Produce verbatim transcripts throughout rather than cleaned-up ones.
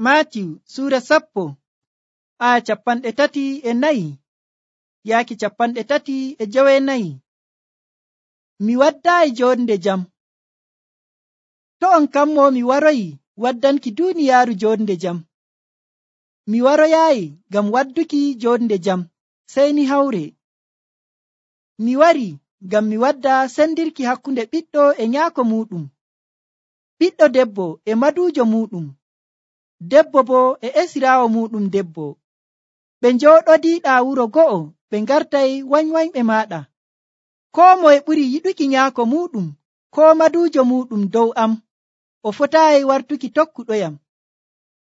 Maatiw suura sappo aya capanɗe tati e nayi yaaki capanɗe tati e jowenayi. Mi waddaayi jonde jam. To on kammo mi waroyi waddanki duniyaaru jonde jam. Mi waroyaayi ngam wadduki jonde jam sey ni hawre. Mi wari ngam mi wadda sendirki hakkunde ɓiɗɗo e nyaako muɗum, ɓiɗɗo debbo e maduujo muɗum, debbo bo e esiraawo muɗum debbo. Ɓe njooɗodiiɗaa wuro go'o, ɓe ngartay wanywanyɓe maaɗa. Koo moye ɓuri yiɗuki nyaako muɗum koo maduujo muɗum dow am, o fotaayi wartuki tokkuɗoyam.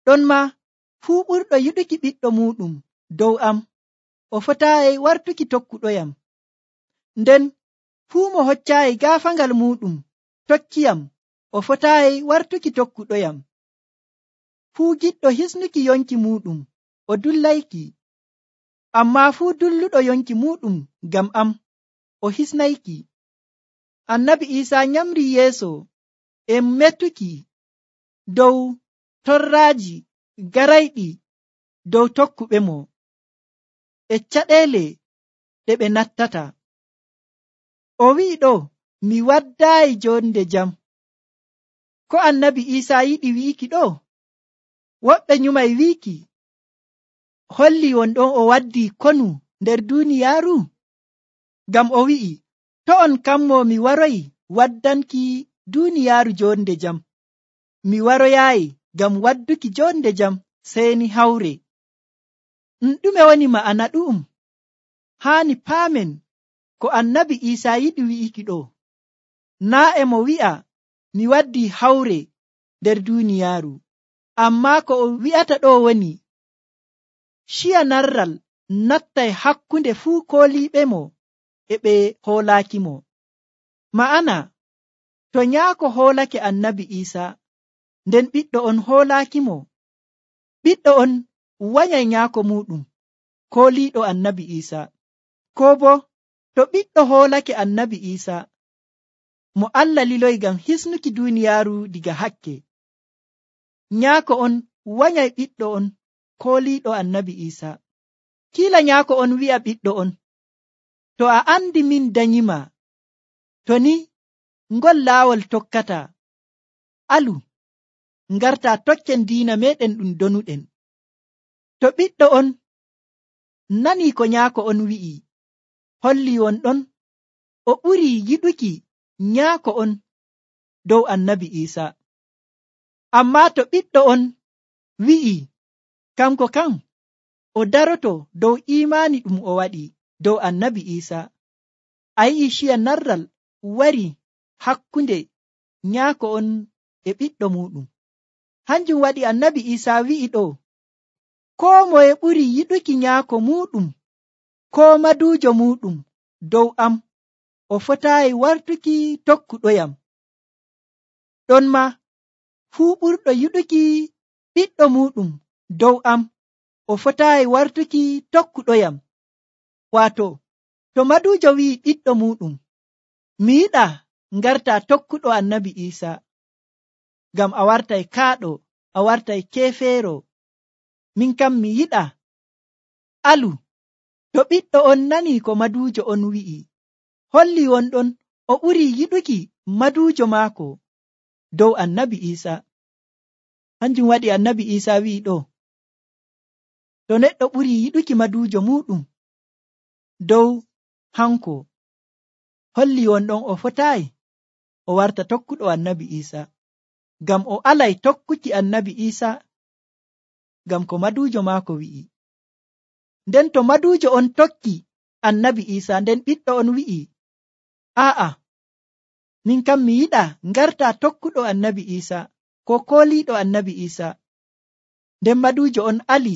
Ɗonma fuu ɓurɗo yiɗuki ɓiɗɗo muɗum dow am, o fotaayi wartuki tokkuɗoyam. Nden fuu mo hoccaayi gaafaangal muɗum tokkiyam, o fotaayi wartuki tokkuɗoyam. Fuu giɗɗo hisnuki yonki muɗum o dullayki, ammaa fuu dulluɗo yonki muɗum ngam am o hisnayki. Annabi Iisaa nyamri yeeso e metuki dow torraaji garayɗi dow tokkuɓe mo e caɗeele ɗe ɓe nattata. O wi'i ɗo, mi waddaayi jonde jam. Ko annabi Iisaa yiɗi wi'iki ɗo? Woɓɓe nyumay wi'iki holli wonɗon o waddi konu nder duniyaaru? Ngam o wi'i, to on kammo mi waroyi waddanki duniyaaru jonde jam. Mi waroyaayi ngam wadduki jonde jam sey ni hawre. Ɗume woni ma'ana ɗu'um? Haani paamen ko annabi Iisaa yiɗi wi'iki ɗo. Naa e mo wi'a mi waddi hawre nder duniyaaru, ammaa ko o wi'ata ɗo woni ciya narral nattay hakkunde fuu kooliiɓe mo e ɓe hoolaaki mo. Ma'ana, to nyaako hoolake annabi Iisaa, nden ɓiɗɗo on hoolaaki mo, ɓiɗɗo on wanyay nyaako muɗum kooliiɗo annabi Iisaa. Koo bo to ɓiɗɗo hoolake annabi Iisaa, mo Allah liloy ngam hisnuki duniyaaru diga hakke, nyaako on wanyay ɓiɗɗo on kooliiɗo annabi Iisaa. Kiila nyaako on wi'a ɓiɗɗo on, to a andi min danyima, to ni ngol laawol tokkata, alu ngarta tokken diina meɗen ɗum donuɗen. To ɓiɗɗo on nani ko nyaako on wi'i, holli wonɗon o ɓuri yiɗuki nyaako on dow annabi Iisaa. Ammaa to ɓiɗɗo on wi'i kanko kan o daroto dow imaani ɗum o waɗi dow annabi Iisaa, a yi'i ciya narral wari hakkunde nyaako on e ɓiɗɗo muɗum. Hanjum waɗi annabi Iisaa wi'i ɗo, koo moye ɓuri yiɗuki nyaako muɗum koo maduujo muɗum dow am, o fotaayi wartuki tokkuɗoyam. Ɗonma fuu ɓurɗo yiɗuki ɓiɗɗo muɗum dow am, o fotaayi wartuki tokkuɗoyam. Waato, to maduujo wi'i ɓiɗɗo muɗum, mi yiɗa ngarta tokkuɗo annabi Iisaa, ngam a wartay kaaɗo, a wartay keefeero, min kam mi yiɗa alu. To ɓiɗɗo on nani ko maduujo on wi'i, holli wonɗon o ɓuri yiɗuki maduujo maako dow annabi Iisaa. Hanjum waɗi annabi Iisaa wi'i ɗo, to neɗɗo ɓuri yiɗuki maduujo muɗum dow hanko, holli wonɗon o fotaayi o warta tokkuɗo annabi Iisaa, ngam o alay tokkuki annabi Iisaa, ngam ko maduujo maako wi'i. Nden to maduujo on tokki annabi Iisaa, nden ɓiɗɗo on wi'i, aa'a, min kam mi yiɗa ngarta tokkuɗo annabi Iisaa ko kooliiɗo annabi Iisaa, nden maduujo on ali,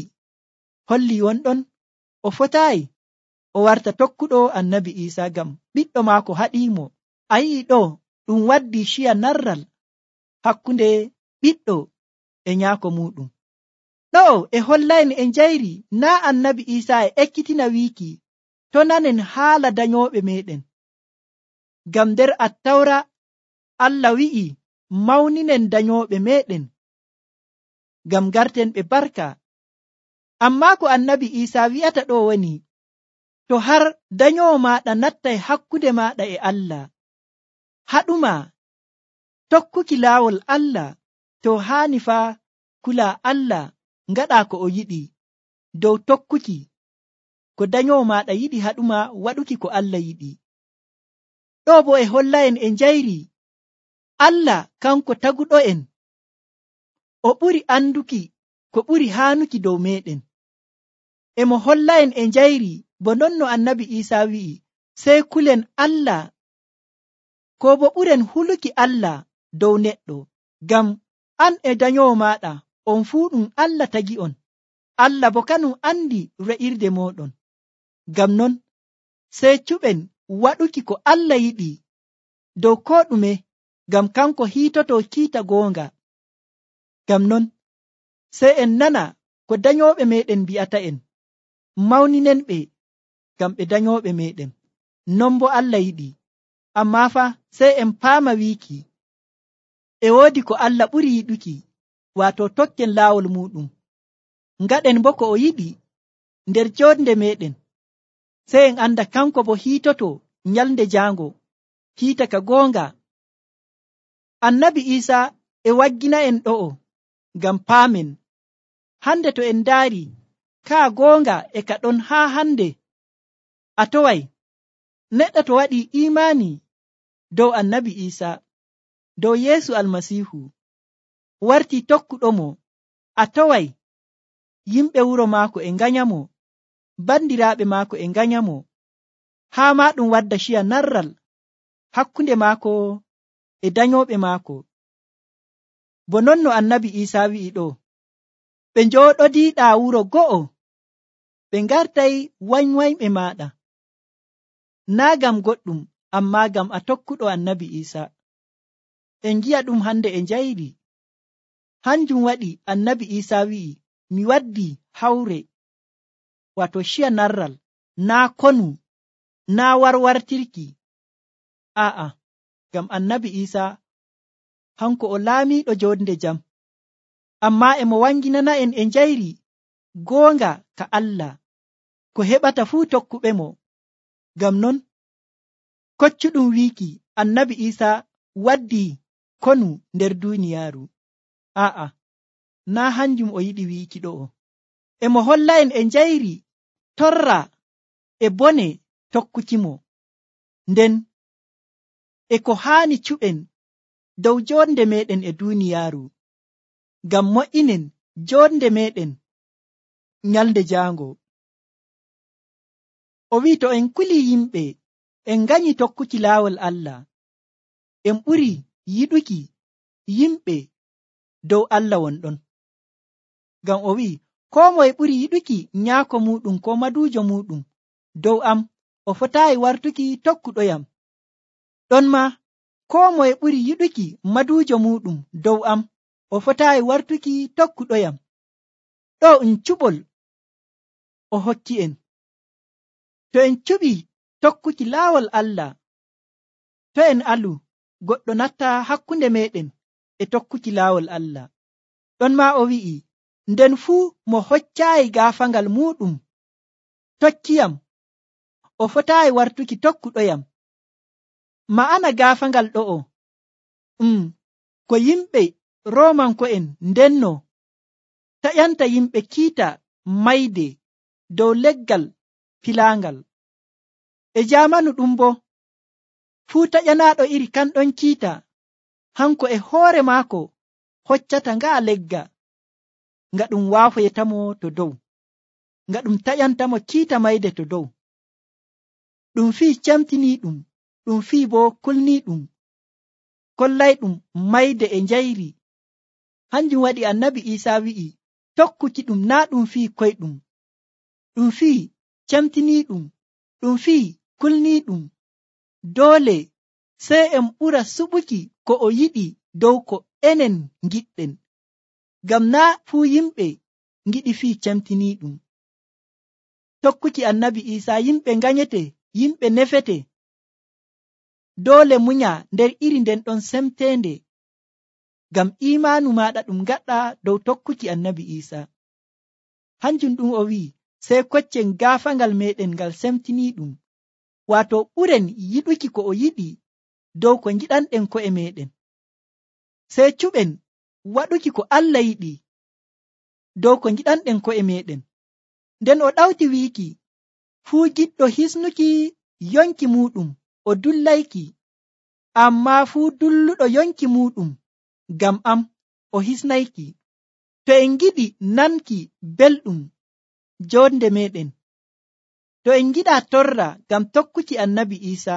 holli wonɗon o fotaayi o warta tokkuɗo annabi Iisaa, ngam ɓiɗɗo maako haɗiimo. A yi'i ɗo ɗum waddi ciya narral hakkunde ɓiɗɗo e nyaako muɗum. Ɗo e hollayni e njayri naa annabi Iisaa e ekkitina wiiki to nanen haala danyooɓe meɗen. Ngam nder Attawra Allah wi'i mawninen danyooɓe meɗen. ngam garten ɓe barka. Ammaa ko annabi Iisaa wi'ata ɗo woni, to har danyowo maaɗa nattay hakkunde maaɗa e Allah, haɗuma tokkuki laawol Allah, to haani faa kulaa Allah ngaɗa ko o yiɗi dow tokkuki ko danyowo maaɗa yiɗi, haɗuma waɗuki ko Allah yiɗi. Ɗo bo e holla'en e njayri Allah kanko taguɗo'en, o ɓuri anduki ko ɓuri haanuki dow meɗen. E mo holla'en e njayri bo non no annabi Iisaa wi'i, sey kulen Allah ko bo ɓuren huluki Allah dow neɗɗo, ngam an e danyowo maaɗa on fuu ɗum Allah tagi'on, Allah bo kanum andi re'irde moɗon. Ngam non sey cuɓen waɗuki ko Allah yiɗi dow ko ɗume, ngam kanko hiitoto kiita goonga. Ngam non sey en nana ko danyooɓe meɗen mbi'ata'en, mawninen ɓe ngam ɓe danyooɓe meɗen, non bo Allah yiɗi. Ammaa fa sey en paama wiiki e woodi ko Allah ɓuri yiɗuki, waato tokken laawol muɗum, ngaɗen bo ko o yiɗi nder jonde meɗen, sey en anda kanko bo hiitoto nyalnde jaango kiita ka goonga. Annabi Iisaa e waggina en ɗo'o ngam paamen, hande to en ndaari kaa goonga e ka ɗon haa hande. A toway neɗɗo to waɗi imaani dow annabi Iisaa, dow Yeesu Almasiihu, warti tokkuɗomo, a toway yimɓe wuro maako e nganyamo, bandiraaɓe maako e nganyamo, haa ma ɗum wadda ciya narral hakkunde maako e danyooɓe maako. Bo non no annabi Iisaa wi'i ɗo, ɓe njooɗodiiɗaa wuro go'o, ɓe ngartay wanywanyɓe maaɗa, naa ngam goɗɗum, ammaa ngam a tokkuɗo annabi Iisaa. En ngi'a ɗum hande e njayri, hanjum waɗi annabi Iisaa wi'i, mi waddi hawre, wato ciya narral, naa konu, naa warwartirki. A'a, ngam annabi Iisaa hanko o laamiiɗo jonde jam, ammaa e mo wanginana en e njayri goonga ka Allah, ko heɓata fuu tokkuɓe mo. Ngam non koccuɗum wiiki annabi Iisaa waddi konu nder duuniyaaru. A'a, naa hanjum o yiɗi wiiki ɗo'o. E mo holla en e njayri torra e bone tokkukimo, nden e ko haani cuɓen dow jonde meɗen e duuniyaaru, ngam mo'inen jonde meɗen nyalnde jaango. O wi'i to en kuli yimɓe en nganyi tokkuki laawol Allah, en ɓuri yiɗuki yimɓe dow Allah wonɗon. Ngam o wi'i, koo moye ɓuri yiɗuki nyaako muɗum ko maduujo muɗum dow am, o fotaayi wartuki tokkuɗoyam. Ɗon ma koo moye ɓuri yiɗuki maduujo muɗum dow am, o fotaayi wartuki tokkuɗoyam. Ɗo um cuɓol o hokki en. To en cuɓi tokkuki laawol Allah, to en alu, goɗɗo natta hakkunde meɗen e tokkuki laawol Allah. Ɗon ma o wi'i, nden fuu mo hoccaayi gaafangal muɗum tokkiyam, o fotaayi wartuki tokkuɗoyam. Ma'ana gaafangal ɗo'o um ko yimɓe Roomanko'en ndenno taƴanta yimɓe kiita mayde dow leggal filaangal. E jaamanu ɗum bo fuu taƴanaaɗo iri kanɗon kiita, hanko e hoore maako hoccata ngaa legga, nga ɗum waafoytamo to dow, nga ɗum taƴantamo kiita mayde to dow. Ɗum fii camtiniiɗum, ɗum fii bo kulniiɗum, kollayɗum mayde e njayri. Hanjum waɗi annabi Iisaa wi'i, tokkuki ɗum naa ɗum fii koyɗum, ɗum fii camtiniiɗum, ɗum fii kulniiɗum. Doole sey en ɓura suɓuki ko o yiɗi dow ko enen ngiɗɗen, ngam naa fuu yimɓe ngiɗi fii camtiniiɗum. Tokkuki annabi Iisaa yimɓe nganyete, yimɓe nefete, doole munya nder iri nden ɗon semteende. ngam imaanu maɗa ɗum gaɗɗa dow tokkuki annabi Isa. Hanjum ɗum o wi'i sey koccen gaafangal meɗen ngal semtiniiɗum, waato ɓuren yiɗuki ko o yiɗi dow ko giɗanɗen ko'e meɗen. Sey cuɓen waɗuki ko Allah yiɗi dow ko giɗanɗen ko'e meɗen. Nden o ɗawti wiiki fuu giɗɗo hisnuki yonki muɗum o dullayki, ammaa fuu dulluɗo yonki muɗum ngam am o hisnayki. To en giɗi nanki belɗum jonde meɗen, to en giɗa torra ngam tokkuki annabi Isa,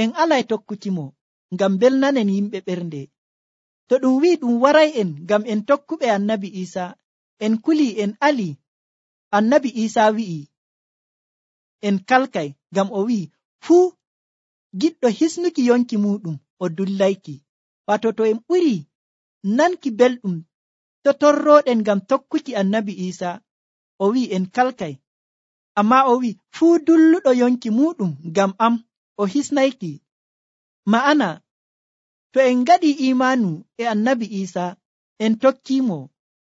en alay tokkuki mo ngam belnanen yimɓe ɓernde. To ɗum wi'i ɗum waray en ngam en tokkuɓe annabi Isa, en kuli en ali. Annabi Isa wi'i en kalkay ngam o wi'i fuu giɗɗo hisnuki yonki muɗum o dullayki. Wato to en ɓuri nanki belɗum to torroɗen ngam tokkuki annabi Isa, o wi'i en kalkay, amma o wi'i fuu dulluɗo yonki muɗum ngam am o hisnayki. Ma'ana to en ngaɗi imaanu e annabi Isa, en tokkimo,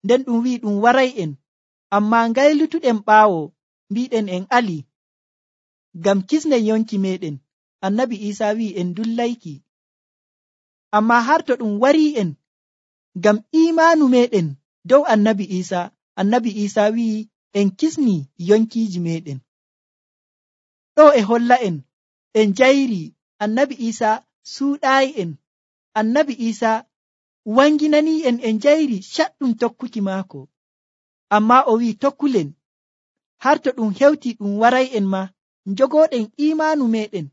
nden ɗum wi'i ɗum waray en, amma ngaylutuɗen ɓaawo mbiɗen en ali ngam kisnen yonki meɗen, annabi Isa wi'i en dullayki. Amma har to ɗum warii en ngam imaanu meɗen dow annabi Isa, annabi Isa wi'i en kisni yonkiiji meɗen. Ɗo e holla en en jayri annabi Isa suuɗaayi en. Annabi Isa wanginani en en jayri caɗɗum tokkuki maako, amma o wi'i tokkulen har to ɗum hewti ɗum waray en ma njogoɗen imaanu meɗen.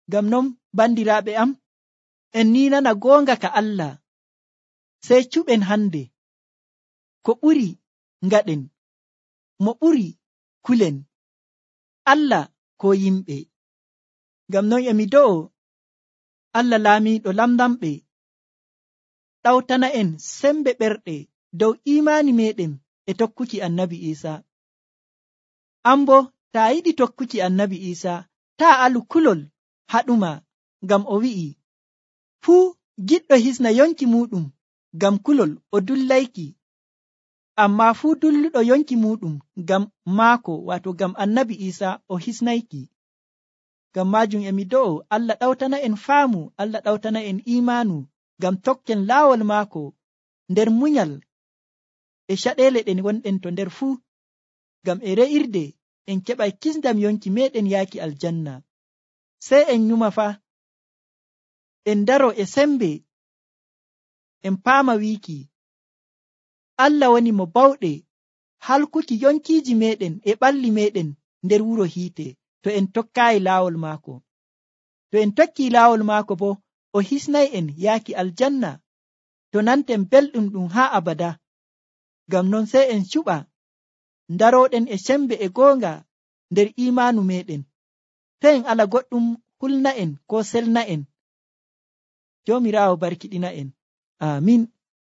Ngam non bandiraaɓe am, en ni nana goonga ka Allah, sey cuɓen hande ko ɓuri ngaɗen, mo ɓuri kulen, Allah ko yimɓe. Ngam non emi do'o Allah laamiiɗo lamlamɓe ɗawtana en sembe ɓerɗe dow imaani meɗen e tokkuki annabi Isa. An bo taa yiɗi tokkuki annabi Isa, taa alu kulol haɗuma, ngam o wi'i fuu giɗɗo hisna yonki muɗum ngam kulol o dullayki, amma fuu dulluɗo yonki muɗum ngam maako, wato ngam annabi Isa, o hisnayki. Ngam majum emi do'o Allah ɗawtana en faamu, Allah ɗawtana en imaanu ngam tokken laawol maako nder munyal e caɗeele ɗen wonɗen to nder fuu, ngam e re'irde en keɓay kisndam yonki meɗen yaaki aljanna. Sey en nyuma fa en daro e sembe, en paama wiiki Allah woni mo bawɗe halkuki yonkiiji meɗen e ɓalli meɗen nder wuro hiite, to en tokkaayi laawol maako. To en tokkii laawol maako bo, o hisnay en yaaki aljanna to nanten belɗum ɗum haa abada. Ngam non sey en cuɓa ndaroɗen e sembe e goonga nder imaanu meɗen, to en ala goɗɗum hulna en ko selna en. Joomiraawo barkiɗina en. Amin.